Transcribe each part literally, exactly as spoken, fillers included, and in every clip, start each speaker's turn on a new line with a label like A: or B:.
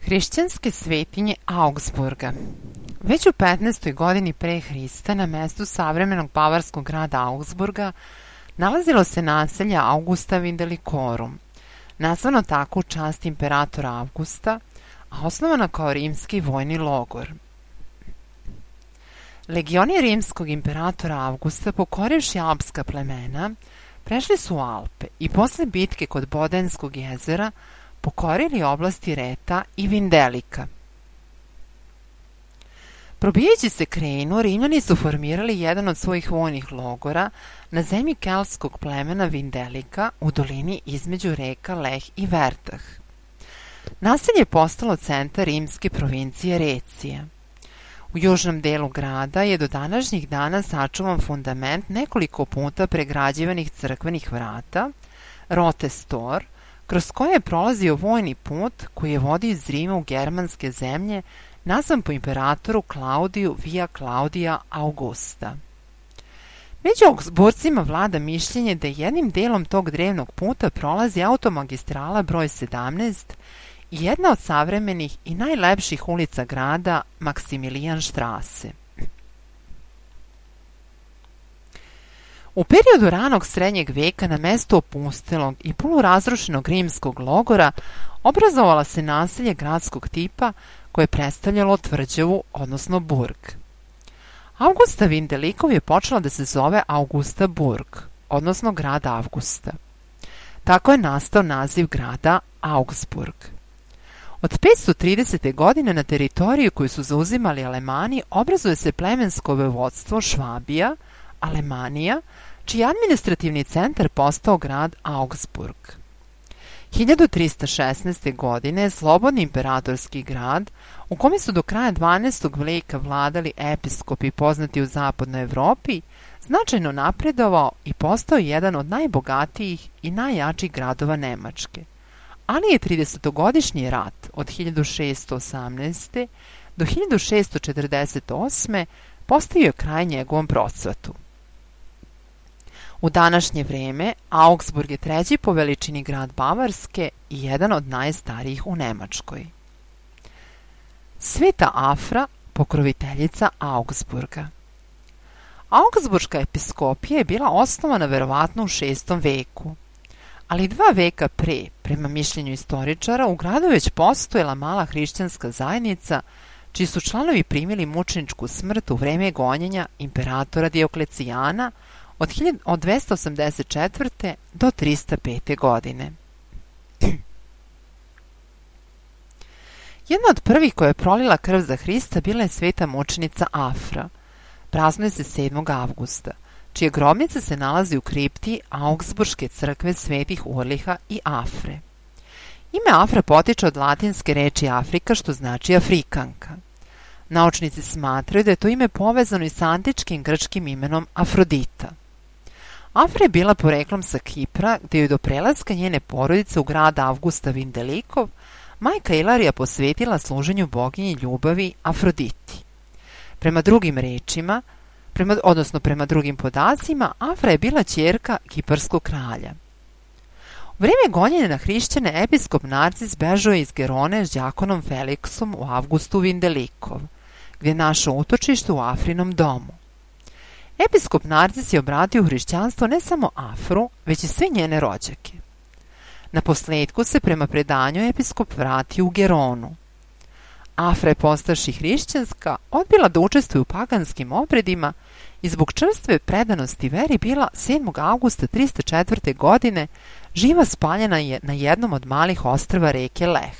A: Hrišćanske svetinje Augsburga. Već u petnaestoj godini pre Hrista na mestu savremenog bavarskog grada Augsburga nalazilo se naselje Augusta Vindelikorum, nazvano tako u čast imperatora Augusta, a osnovana kao rimski vojni logor. Legioni rimskog imperatora Augusta, pokorivši alpska plemena, prešli su u Alpe i posle bitke kod Bodenskog jezera pokorili oblasti Reta i Vindelika. Probijajući se Krenu, Rimljani su formirali jedan od svojih vojnih logora na zemlji keltskog plemena Vindelika u dolini između reka Leh i Vertah. Naselje je postalo centar rimske provincije Recija. U južnom delu grada je do današnjih dana sačuvan fundament nekoliko puta pregrađivanih crkvenih vrata, Rote Stor, kroz koje je prolazio vojni put koji je vodio iz Rima u germanske zemlje, nazvan po imperatoru Klaudiju Via Claudia Augusta. Među Augsburcima vlada mišljenje da jednim delom tog drevnog puta prolazi automagistrala broj sedamnaest i jedna od savremenih i najlepših ulica grada, Maksimilijanštrase. U periodu ranog srednjeg veka na mestu opustelog i polurazrušenog rimskog logora obrazovala se naselje gradskog tipa koje je predstavljalo tvrđavu, odnosno burg. Augusta Vindelikov je počela da se zove Augusta Burg, odnosno grad Avgusta. Tako je nastao naziv grada Augsburg. Od petsto tridesete. godine na teritoriju koju su zauzimali Alemani obrazuje se plemensko vojvodstvo Švabija, Alemanija, čiji je administrativni centar postao grad Augsburg. hiljadu trista šesnaeste. godine slobodni imperatorski grad, u kome su do kraja dvanaestog veka vladali episkopi poznati u zapadnoj Evropi, značajno napredovao i postao jedan od najbogatijih i najjačih gradova Nemačke. Ali je tridesetogodišnji rat od hiljadu šeststo osamnaeste. do hiljadu šeststo četrdeset osme. postavio kraj njegovom procvatu. U današnje vreme Augsburg je treći po veličini grad Bavarske i jedan od najstarijih u Nemačkoj. Sveta Afra, pokroviteljica Augsburga. Augsburška episkopija je bila osnovana verovatno u šestom veku, ali dva veka pre, prema mišljenju istoričara, u gradu već postojala mala hrišćanska zajednica, čiji su članovi primili mučeničku smrt u vreme gonjenja imperatora Dioklecijana od, od dvesta osamdeset četvrte. do trista pete. godine. Jedna od prvih koja je prolila krv za Hrista bila je sveta mučenica Afra. Praznuje se sedmog avgusta, čija grobnica se nalazi u kripti Augsburške crkve svetih Urliha i Afre. Ime Afra potiče od latinske reči Afrika, što znači Afrikanka. Naučnici smatraju da je to ime povezano i sa antičkim grčkim imenom Afrodita. Afra je bila poreklom sa Kipra, gde je do prelaska njene porodice u grad Augusta Vindelikov majka Ilarija posvetila služenju boginji ljubavi Afroditi. Prema drugim rečima, prema, odnosno prema drugim podacima, Afra je bila ćerka kiparskog kralja. U vreme gonjenja na hrišćane episkop Narcis bežao je iz Gerone s đakonom Feliksom u Avgustu Vindelikov, gdje je našao utočište u Afrinom domu. Episkop Narcis je obratio hrišćanstvo ne samo Afru, već i sve njene rođake. Na posledku se prema predanju episkop vratio u Geronu. Afra je postavši hrišćanska odbila da učestvuje u paganskim obredima i zbog čvrste predanosti veri bila sedmog avgusta trista četvrte. godine živa spaljena je na jednom od malih ostrva reke Leh.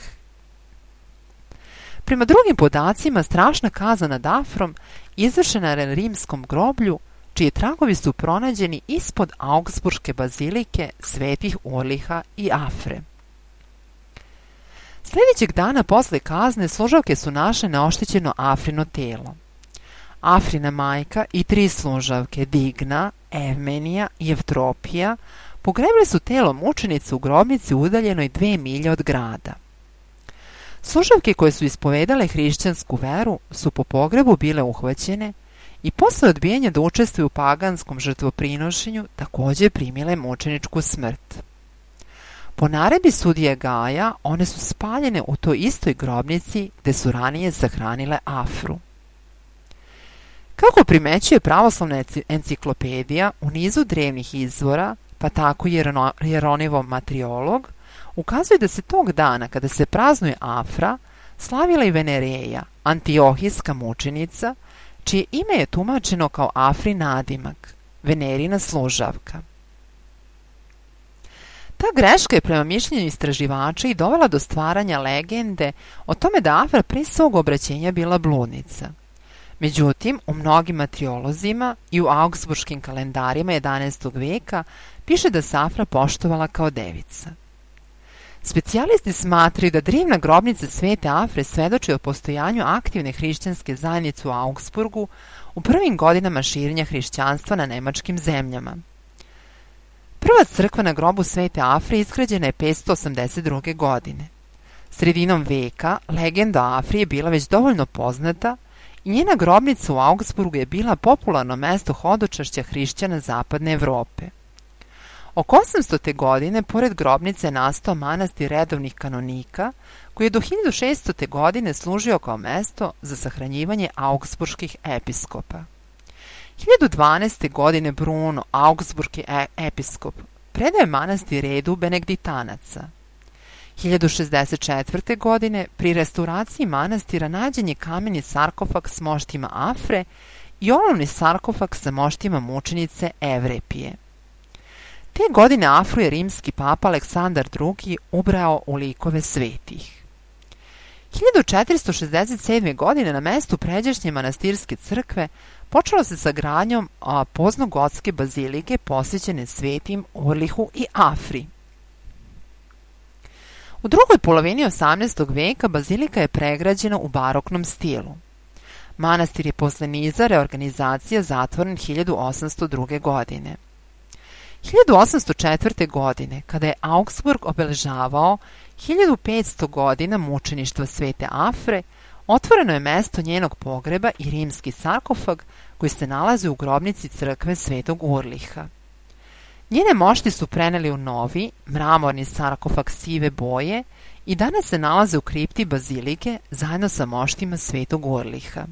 A: Prema drugim podacima, strašna kazna nad Afrom izvršena je na rimskom groblju, čiji tragovi su pronađeni ispod Augsburške bazilike svetih Urliha i Afre. Sljedećeg dana posle kazne služavke su našle neoštećeno Afrino telo. Afrina majka i tri služavke, Digna, Evmenija i Evtropija, pogrebile su telo mučenice u grobnici udaljenoj dve milje od grada. Služavke koje su ispovedale hrišćansku veru su po pogrebu bile uhvaćene i posle odbijanja da učestvuju u paganskom žrtvoprinošenju također primile mučeničku smrt. Po naredbi sudije Gaja, one su spaljene u toj istoj grobnici gde su ranije sahranile Afru. Kako primećuje pravoslavna enciklopedija, u nizu drevnih izvora, pa tako i Jeronijev matriolog, ukazuje da se tog dana, kada se praznuje Afra, slavila i Venereja, antiohijska mučenica, čije ime je tumačeno kao Afri nadimak, Venerina služavka. Ta greška je prema mišljenju istraživača i dovela do stvaranja legende o tome da Afra pre svog obraćenja bila bludnica. Međutim, u mnogim matriolozima i u augsburškim kalendarima jedanaestog veka piše da se Afra poštovala kao devica. Specijalisti smatraju da drevna grobnica Svete Afre svedoči o postojanju aktivne hrišćanske zajednice u Augsburgu u prvim godinama širenja hrišćanstva na nemačkim zemljama. Prva crkva na grobu Svete Afre izgrađena je petsto osamdeset druge. godine. Sredinom veka legenda o Afri je bila već dovoljno poznata i njena grobnica u Augsburgu je bila popularno mesto hodočašća hrišćana zapadne Evrope. Oko osamstote. godine pored grobnice je nastao manastir redovnih kanonika koji je do hiljadu šeststote. godine služio kao mesto za sahranjivanje augsburških episkopa. hiljadu dvanaeste. godine Bruno, augsburški episkop, predao je manastir redu benediktanaca. hiljadu šezdeset četvrte. godine pri restauraciji manastira nađen je kameni sarkofag s moštima Afre i olovni sarkofag sa moštima mučenice Evrepije. Te godine Afru je rimski papa Aleksandar drugi. ubrao u likove svetih. hiljadu četiristo šezdeset sedme. godine na mestu pređašnje manastirske crkve počelo se sa gradnjom poznogotske bazilike posvećene svetim Urlihu i Afri. U drugoj polovini osamnaestog. veka bazilika je pregrađena u baroknom stilu. Manastir je posle niza reorganizacija zatvoren hiljadu osamsto druge. godine. hiljadu osamsto četvrte. godine, kada je Augsburg obeležavao hiljadu petsto. godina mučeništva Svete Afre, otvoreno je mesto njenog pogreba i rimski sarkofag koji se nalazi u grobnici crkve Svetog Urliha. Njene mošti su preneli u novi, mramorni sarkofag sive boje i danas se nalaze u kripti bazilike zajedno sa moštima Svetog Urliha.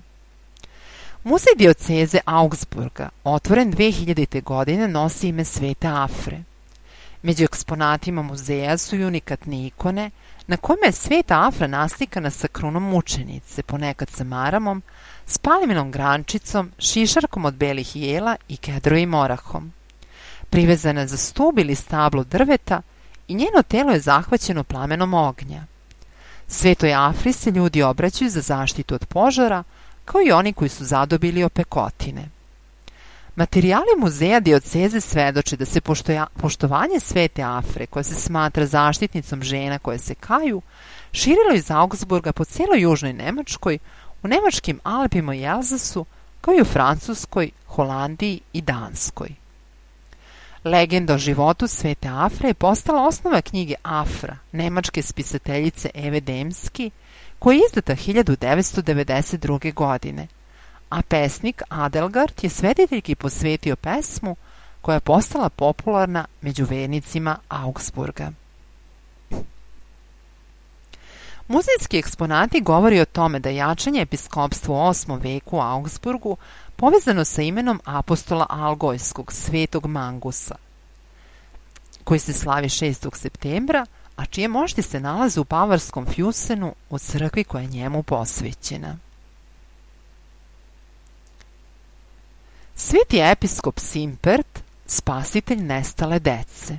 A: Muzej dioceze Augsburga, otvoren dve hiljadite. godine, nosi ime Svete Afre. Među eksponatima muzeja su i unikatne ikone na kojima je Sveta Afra naslikana sa krunom mučenice, ponekad sa maramom, s palminom grančicom, šišarkom od belih jela i kedrovim orahom. Privezana je za stub ili stablo drveta i njeno telo je zahvaćeno plamenom ognja. Svetoj Afri se ljudi obraćaju za zaštitu od požara, kao i oni koji su zadobili opekotine. Materijali muzeja dioceze svedoče da se poštoja, poštovanje Svete Afre, koja se smatra zaštitnicom žena koje se kaju, širilo iz Augsburga po cijeloj južnoj Nemačkoj, u nemačkim Alpima i Elzasu, kao i u Francuskoj, Holandiji i Danskoj. Legenda o životu Svete Afre je postala osnova knjige Afra, nemačke spisateljice Eve Demski, koja je izdata hiljadu devetsto devedeset druge. godine, a pesnik Adelgard je svediteljki posvetio pesmu koja je postala popularna među vernicima Augsburga. Muzejski eksponati govori o tome da jačanje episkopstva u osmom. veku u Augsburgu povezano sa imenom apostola Algojskog, Svetog Mangusa, koji se slavi šestog. septembra, a čije mošti se nalaze u bavarskom Fjusenu u crkvi koja je njemu posvećena. Sveti episkop Simpert, spasitelj nestale dece.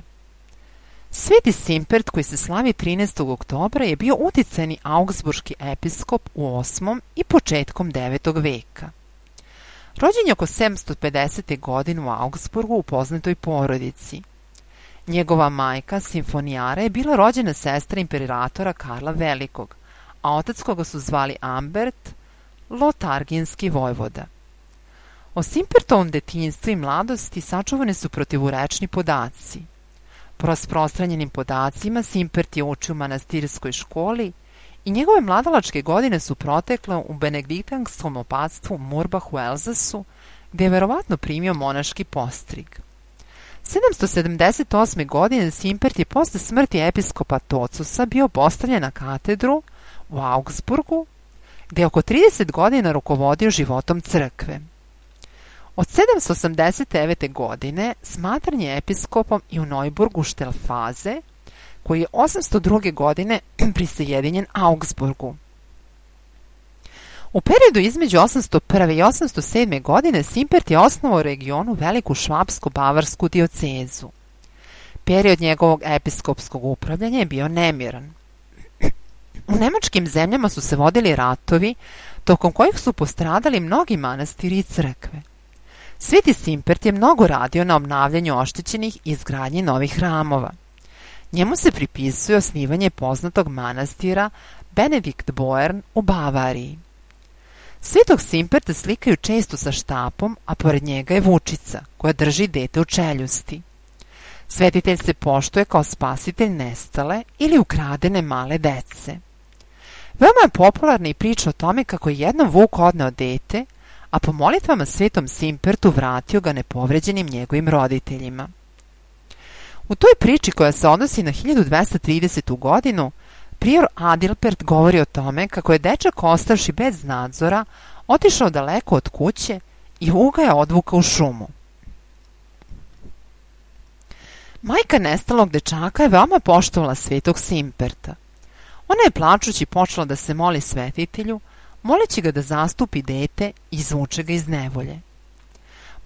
A: Sveti Simpert, koji se slavi trinaestog. oktobra, je bio uticajni augsburški episkop u osmom i početkom devetog. veka. Rođen je oko sedamsto pedesete. godine u Augsburgu u poznatoj porodici. Njegova majka, Simfonijara, je bila rođena sestra imperatora Karla Velikog, a otac koga su zvali Ambert, lotarginski vojvoda. O Simpertovom detinjstvu i mladosti sačuvani su protivurečni podaci. Po rasprostranjenim podacima, Simpert je učio u manastirskoj školi i njegove mladalačke godine su protekle u benediktanskom opatstvu Murbach u Elzasu, gde je verovatno primio monaški postrig. sedamsto sedamdeset osme. godine Simpert je posle smrti episkopa Tocusa bio postavljen na katedru u Augsburgu, gde je oko trideset godina rukovodio životom crkve. Od sedamsto osamdeset devete. godine smatran je episkopom i u Neuburgu Štelfaze, koji je osamsto druge. godine prisajedinjen Augsburgu. U periodu između osamsto prve. i osamsto sedme. godine Simpert je osnovao u regionu veliku švapsko-bavarsku diocezu. Period njegovog episkopskog upravljanja je bio nemiran. U nemačkim zemljama su se vodili ratovi, tokom kojih su postradali mnogi manastiri i crkve. Sveti Simpert je mnogo radio na obnavljanju oštećenih i izgradnji novih hramova. Njemu se pripisuje osnivanje poznatog manastira Benediktboern u Bavariji. Svetog Simperta slikaju često sa štapom, a pored njega je vučica koja drži dete u čeljusti. Svetitelj se poštuje kao spasitelj nestale ili ukradene male dece. Veoma je popularna i priča o tome kako je jednom Vuk odneo dete, a po molitvama Svetom Simpertu vratio ga nepovređenim njegovim roditeljima. U toj priči, koja se odnosi na hiljadu dvesta tridesetu godinu, prior Adilpert govori o tome kako je dečak, ostavši bez nadzora, otišao daleko od kuće i Vuk ga je odvukao u šumu. Majka nestalog dečaka je veoma poštovala Svetog Simperta. Ona je plačući počela da se moli svetitelju, moleći ga da zastupi dete i izvuče ga iz nevolje.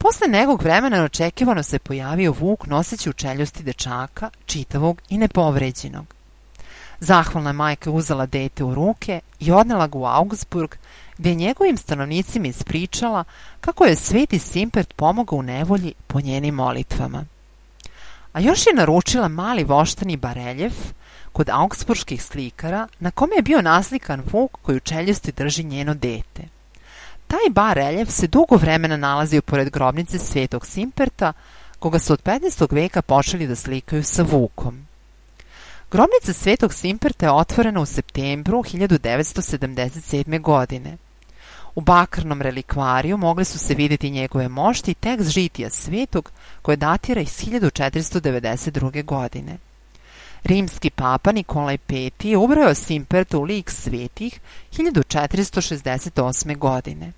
A: Posle nekog vremena neočekivano se pojavio Vuk noseći u čeljusti dečaka, čitavog i nepovređenog. Zahvalna majka uzela dete u ruke i odnela ga u Augsburg, gde je njegovim stanovnicima ispričala kako je Sveti Simpert pomogao u nevolji po njenim molitvama. A još je naručila mali voštani bareljef kod augsburških slikara, na kome je bio naslikan Vuk koji u čeljusti drži njeno dete. Taj bareljef se dugo vremena nalazio pored grobnice Svetog Simperta, koga su od petnaestog veka počeli da slikaju sa Vukom. Grobnica Svetog Simperta je otvorena u septembru hiljadu devetsto sedamdeset sedme. godine. U bakarnom relikvariju mogli su se vidjeti njegove mošti i tekst žitija svetog, koje datira iz hiljadu četiristo devedeset druge. godine. Rimski papa Nikolaj Peti je ubrojao Simperta u lik svetih hiljadu četiristo šezdeset osme. godine.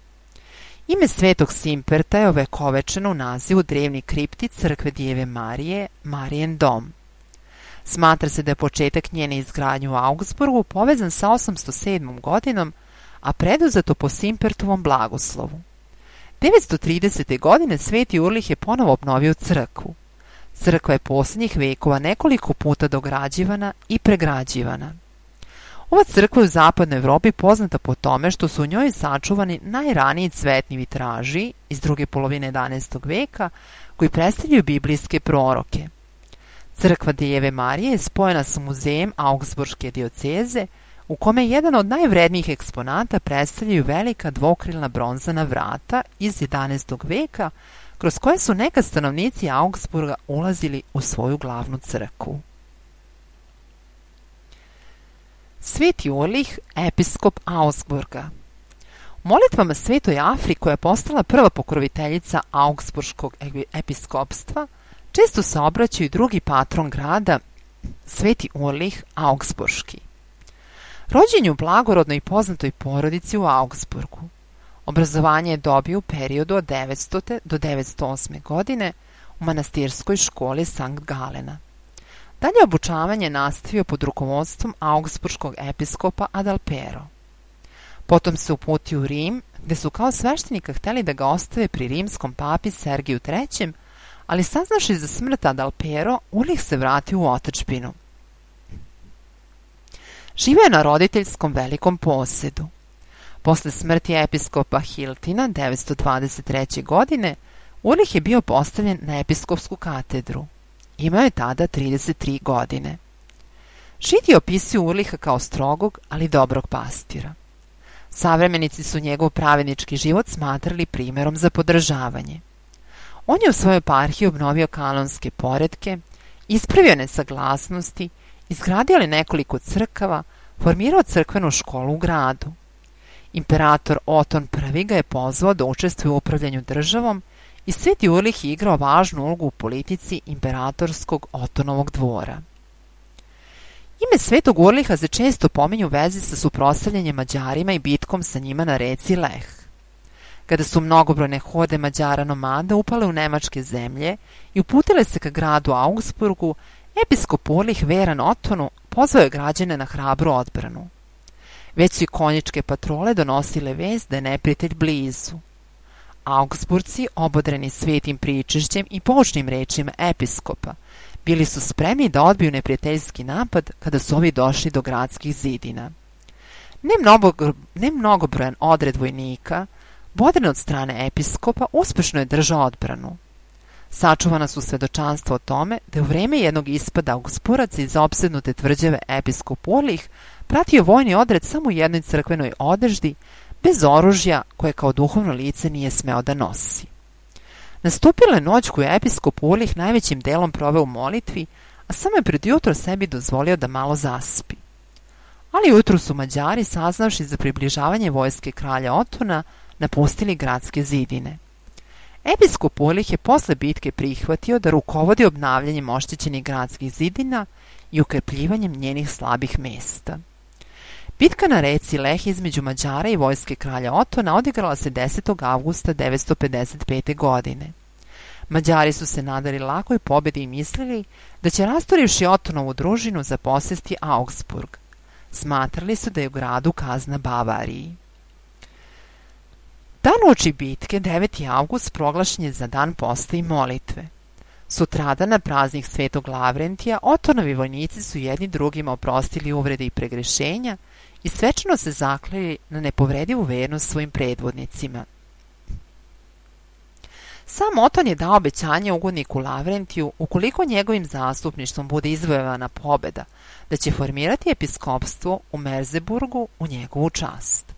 A: Ime Svetog Simperta je ovekovečeno u nazivu drevni kripti crkve Djeve Marije, Marijen dom. Smatra se da je početak njene izgradnje u Augsburgu povezan sa osamsto sedmom. godinom, a preduzeto po Simpertovom blagoslovu. devetsto tridesete. godine Sveti Urlih je ponovo obnovio crkvu. Crkva je posljednjih vekova nekoliko puta dograđivana i pregrađivana. Ova crkva je u zapadnoj Evropi poznata po tome što su u njoj sačuvani najraniji cvetni vitraži iz druge polovine jedanaestog. veka, koji predstavljaju biblijske proroke. Crkva Djeve Marije je spojena sa muzejem Augsburške dioceze, u kome jedan od najvrednijih eksponata predstavljaju velika dvokrilna bronzana vrata iz jedanaestog. veka, kroz koje su nekad stanovnici Augsburga ulazili u svoju glavnu crkvu. Sveti Urlih, episkop Augsburga. U molitvama Svetoj Afri, koja je postala prva pokroviteljica Augsburškog episkopstva, često se obraćaju drugi patron grada, Sveti Urlih Augsburški. Rođen je u blagorodnoj i poznatoj porodici u Augsburgu. Obrazovanje je dobio u periodu od devetstote. do devetsto osme. godine u manastirskoj školi Sankt Galena. Dalje obučavanje nastavio pod rukovodstvom augsburškog episkopa Adalpero. Potom se uputio u Rim, gde su kao sveštenika hteli da ga ostave pri rimskom papi Sergiju trećem, ali saznaši za smrt Adalpero, Urlih se vratio u otadžbinu. Živeo je na roditeljskom velikom posedu. Posle smrti episkopa Hiltina devetsto dvadeset treće. godine, Urlih je bio postavljen na episkopsku katedru. Imao je tada trideset tri godine. Židi opisuju Urliha kao strogog, ali dobrog pastira. Savremenici su njegov pravednički život smatrali primerom za podržavanje. On je u svojoj eparhiji obnovio kanonske poretke, ispravio nesaglasnosti, izgradio li nekoliko crkava, formirao crkvenu školu u gradu. Imperator Oton prvi ga je pozvao da učestvuje u upravljanju državom i Sveti Urlih je igrao važnu ulogu u politici imperatorskog Otonovog dvora. Ime Svetog Urliha se često pominju u vezi sa suprotstavljanjem Mađarima i bitkom sa njima na reci Leh. Kada su mnogobrojne horde Mađara nomada upale u nemačke zemlje i uputile se ka gradu Augsburgu, episkop Urlih veran Otonu pozvao je građane na hrabru odbranu. Već su i konjičke patrole donosile vest da je neprijatelj blizu. Augsburci, obodreni svetim pričešćem i poučnim rečima episkopa, bili su spremni da odbiju neprijateljski napad kada su ovi došli do gradskih zidina. Ne, mnogo, ne mnogobrojan odred vojnika, bodren od strane episkopa, uspešno je držao odbranu. Sačuvana su svedočanstva o tome da je u vreme jednog ispada Augsburaca iz opsednute tvrđave episkop Urlih pratio vojni odred samo u jednoj crkvenoj odeždi, bez oružja koje kao duhovno lice nije smeo da nosi. Nastupila je noć koju je episkop Urlih najvećim delom proveo u molitvi, a samo je pred jutro sebi dozvolio da malo zaspi. Ali ujutru su Mađari, saznavši za približavanje vojske kralja Otona, napustili gradske zidine. Episkop Urlih je posle bitke prihvatio da rukovodi obnavljanjem oštećenih gradskih zidina i ukrepljivanjem njenih slabih mesta. Bitka na reci Leh između Mađara i vojske kralja Otona odigrala se desetog avgusta devetsto pedeset pete. godine. Mađari su se nadali lakoj pobedi i mislili da će, rasturivši Otonovu družinu, zaposesti Augsburg. Smatrali su da je u gradu kazna Bavariji. Dan uoči bitke, deveti avgust, proglašen je za dan posta i molitve. Sutradan na praznik Svetog Lavrentija Otonovi vojnici su jedni drugima oprostili uvrede i pregrešenja i svečano se zakleli na nepovredivu vernost svojim predvodnicima. Sam Oton je dao obećanje ugodniku Lavrentiju, ukoliko njegovim zastupništvom bude izvojevana pobeda, da će formirati episkopstvo u Merseburgu u njegovu čast.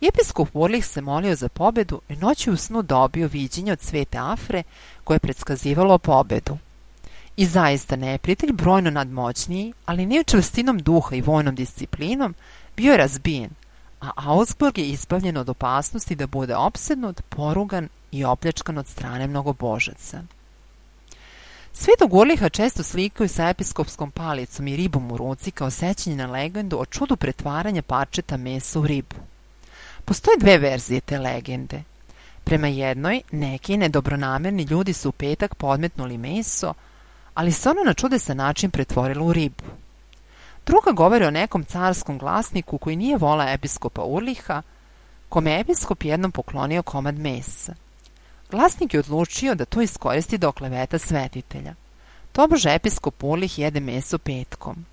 A: Episkop Urlih se molio za pobedu i noći u snu dobio viđenje od svete Afre koje je predskazivalo pobedu. I zaista neprijatelj, brojno nadmoćniji, ali ne čvrstinom duha i vojnom disciplinom, bio je razbijen, a Augsburg je izbavljen od opasnosti da bude opsednut, porugan i opljačkan od strane mnogobožaca. Svetog Urliha često slikaju sa episkopskom palicom i ribom u ruci kao sećanje na legendu o čudu pretvaranja parčeta mesa u ribu. Postoje dve verzije te legende. Prema jednoj, neki nedobronamerni ljudi su u petak podmetnuli meso, ali se ono na čudesan način pretvorilo u ribu. Druga govori o nekom carskom glasniku koji nije voleo episkopa Urliha, kome je episkop jednom poklonio komad mesa. Glasnik je odlučio da to iskoristi do okleveta svetitelja. Tobože episkop Urlih jede meso petkom.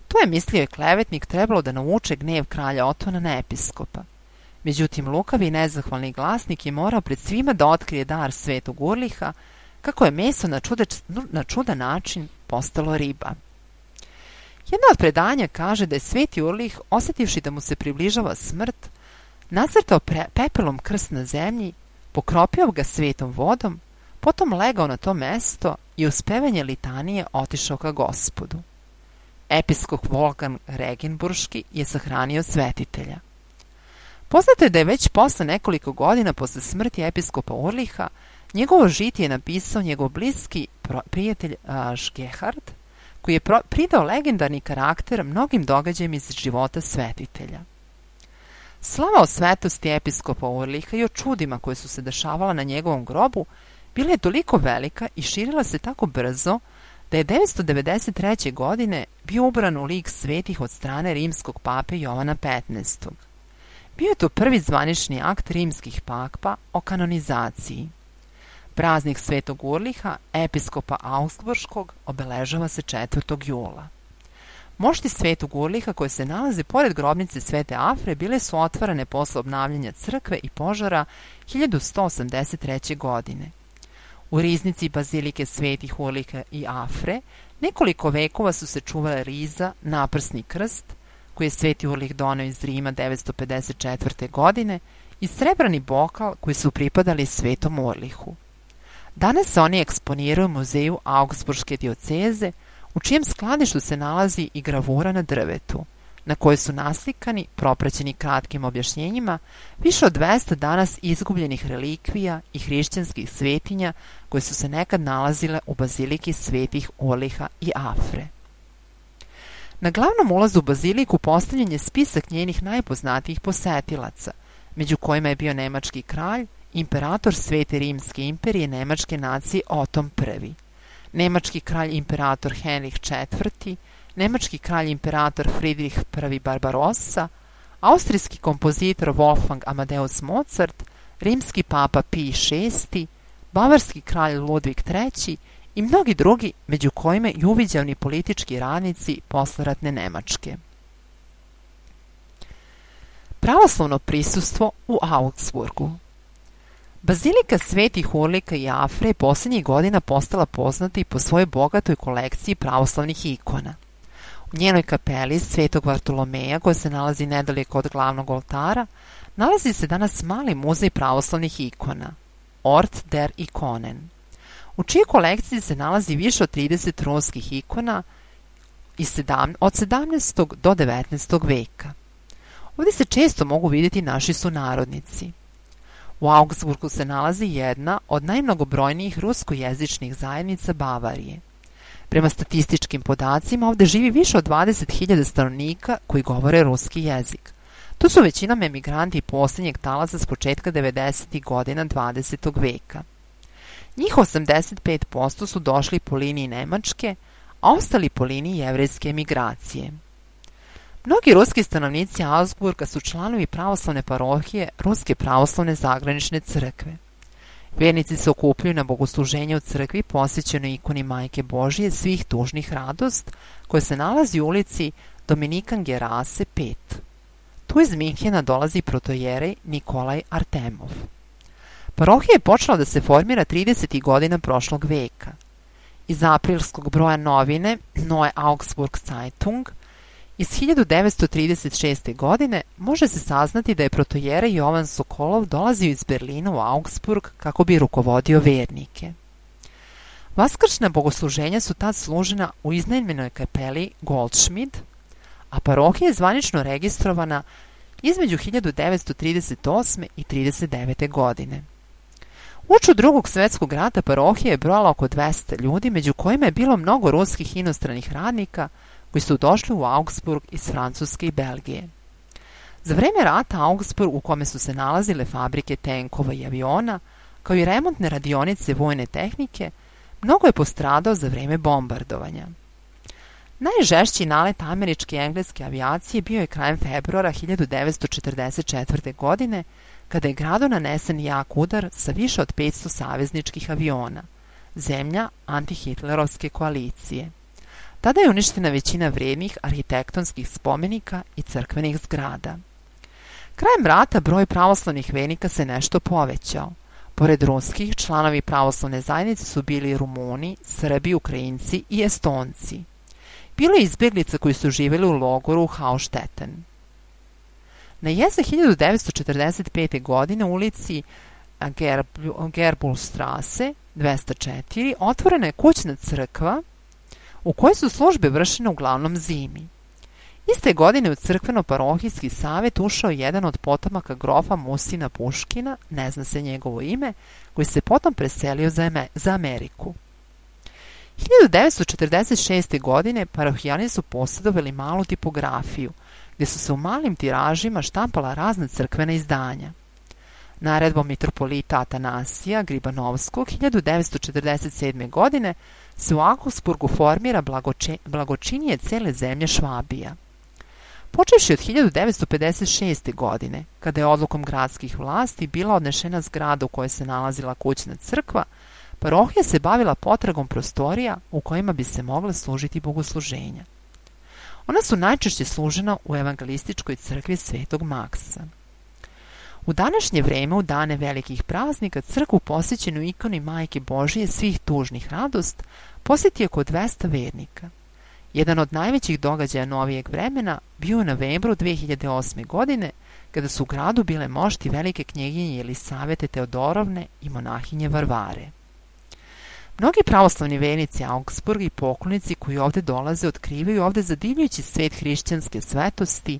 A: To je, mislio je klevetnik, trebalo da navuče gnev kralja Otona na episkopa. Međutim, lukavi i nezahvalni glasnik je morao pred svima da otkrije dar svetog Urliha, kako je meso na, čude, na čudan način postalo riba. Jedno od predanja kaže da je sveti Urlih, osjetivši da mu se približava smrt, nacrtao pre, pepelom krst na zemlji, pokropio ga svetom vodom, potom legao na to mesto i uz pevanje litanije otišao ka Gospodu. Episkop Wolfgang Regenburški je sahranio svetitelja. Poznato je da je već posle nekoliko godina posle smrti episkopa Urliha njegovo žitije napisao njegov bliski prijatelj Šgehard, koji je pridao legendarni karakter mnogim događajima iz života svetitelja. Slava o svetosti episkopa Urliha i o čudima koje su se dešavala na njegovom grobu bila je toliko velika i širila se tako brzo da je devetsto devedeset treće. godine bio ubran u lik svetih od strane rimskog pape Jovana petnaestog. Bio je to prvi zvanični akt rimskih papa o kanonizaciji. Praznik svetog Urliha, episkopa Augsburškog, obeležava se četvrtog jula. Mošti svetog Urliha koje se nalaze pored grobnice svete Afre bile su otvarane posle obnavljanja crkve i požara hiljadu sto osamdeset treće. godine. U riznici bazilike svetih Urliha i Afre nekoliko vekova su se čuvale riza, naprsni krst, koji je sveti Urlih doneo iz Rima devetsto pedeset četvrte. godine i srebrani bokal koji su pripadali svetom Urlihu. Danas se oni eksponiraju u muzeju Augsburške dioceze, u čijem skladištu se nalazi i gravura na drvetu, na kojoj su naslikani, propraćeni kratkim objašnjenjima, više od dvesta danas izgubljenih relikvija i hrišćanskih svetinja koje su se nekad nalazile u baziliki svetih Urliha i Afre. Na glavnom ulazu u baziliku postavljen je spisak njenih najpoznatijih posetilaca, među kojima je bio nemački kralj, imperator Svete Rimske imperije nemačke nacije Oton prvi, nemački kralj imperator Henrih četvrti, nemački kralj imperator Friedrich prvi Barbarossa, austrijski kompozitor Wolfgang Amadeus Mozart, rimski papa Pij šesti, bavarski kralj Ludvig treći i mnogi drugi, među kojima i uviđavni politički radnici posleratne Nemačke. Pravoslavno prisustvo u Augsburgu. Bazilika Svetih Urlika i Afre je posljednjih godina postala poznata i po svojoj bogatoj kolekciji pravoslavnih ikona. U njenoj kapeli Svetog Vartolomeja, koja se nalazi nedaleko od glavnog oltara, nalazi se danas mali muzej pravoslavnih ikona, Ort der Ikonen, u čijoj kolekciji se nalazi više od trideset ruskih ikona od sedamnaestog do devetnaestog veka. Ovdje se često mogu vidjeti naši sunarodnici. U Augsburgu se nalazi jedna od najmnogobrojnijih ruskojezičnih zajednica Bavarije. Prema statističkim podacima ovdje živi više od dvadeset hiljada stanovnika koji govore ruski jezik. Tu su većinom emigranti posljednjeg talasa s početka devedesetih godina dvadesetog veka. Njih osamdeset pet posto su došli po liniji Nemačke, a ostali po liniji jevrejske emigracije. Mnogi ruski stanovnici Augsburga su članovi pravoslavne parohije Ruske pravoslavne zagranične crkve. Vjernici se okupljaju na bogosluženje u crkvi posvećenoj ikoni Majke Božije svih tužnih radost, koja se nalazi u ulici Dominikan Gerase pet. Tu iz Minhena dolazi protojerej Nikolaj Artemov. Parohija je počela da se formira tridesetih godina prošlog veka. Iz aprilskog broja novine Neue Augsburg Zeitung iz hiljadu devetsto trideset šeste. godine može se saznati da je protojerej Jovan Sokolov dolazio iz Berlina u Augsburg kako bi rukovodio vernike. Vaskršnja bogosluženja su tad služena u iznajmljenoj kapeli Goldschmied, a parohija je zvanično registrovana između hiljadu devetsto trideset osme. i trideset devete. godine. Uoči Drugog svjetskog rata parohija je brojala oko dvesta ljudi, među kojima je bilo mnogo ruskih inostranih radnika koji su došli u Augsburg iz Francuske i Belgije. Za vreme rata Augsburg, u kome su se nalazile fabrike tenkova i aviona, kao i remontne radionice vojne tehnike, mnogo je postradao za vreme bombardovanja. Najžešći nalet američke i engleske avijacije bio je krajem februara hiljadu devetsto četrdeset četvrte. godine, kada je gradu nanesen jak udar sa više od petsto savezničkih aviona, zemlja antihitlerovske koalicije. Tada je uništena većina vrednih arhitektonskih spomenika i crkvenih zgrada. Krajem rata broj pravoslavnih vernika se nešto povećao. Pored ruskih, članovi pravoslavne zajednice su bili Rumuni, Srbi, Ukrajinci i Estonci. Bilo je izbjeglica koji su živjeli u logoru Haustetten. Na jesen hiljadu devetsto četrdeset pete. godine u ulici Gerbulstrasse dvesta četiri otvorena je kućna crkva u kojoj su službe vršene uglavnom zimi. Iste godine u crkveno-parohijski savjet ušao jedan od potomaka grofa Musina Puškina, ne zna se njegovo ime, koji se potom preselio za, za Ameriku. hiljadu devetsto četrdeset šeste. godine parohijani su posjedovali malu tipografiju, gdje su se u malim tiražima štampala razna crkvena izdanja. Naredbom mitropolita Atanasija Gribanovskog hiljadu devetsto četrdeset sedme. godine se u Augsburgu formira blagoče, blagočinije cele zemlje Švabija. Počevši od hiljadu devetsto pedeset šeste. godine, kada je odlukom gradskih vlasti bila odnešena zgrada u kojoj se nalazila kućna crkva, parohija se bavila potragom prostorija u kojima bi se mogla služiti bogosluženja. Ona su najčešće služena u evangelističkoj crkvi Svetog Maksa. U današnje vreme, u dane velikih praznika, crkvu posvećenu ikoni Majke Božije svih tužnih radost posjeti oko dvesta vernika. Jedan od najvećih događaja novijeg vremena bio u novembru dve hiljade osme. godine, kada su u gradu bile mošti velike knjeginje Jelisavete Teodorovne i monahinje Varvare. Mnogi pravoslavni vernici Augsburga i poklonici koji ovdje dolaze otkrivaju ovdje zadivljujući svet hrišćanske svetosti,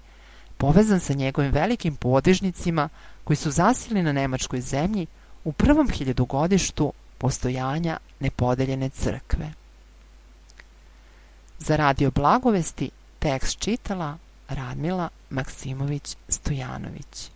A: povezan sa njegovim velikim podvižnicima koji su zasjeli na nemačkoj zemlji u prvom hiljadugodištu postojanja nepodeljene crkve. Za Radio Blagovesti tekst čitala Radmila Maksimović Stojanović.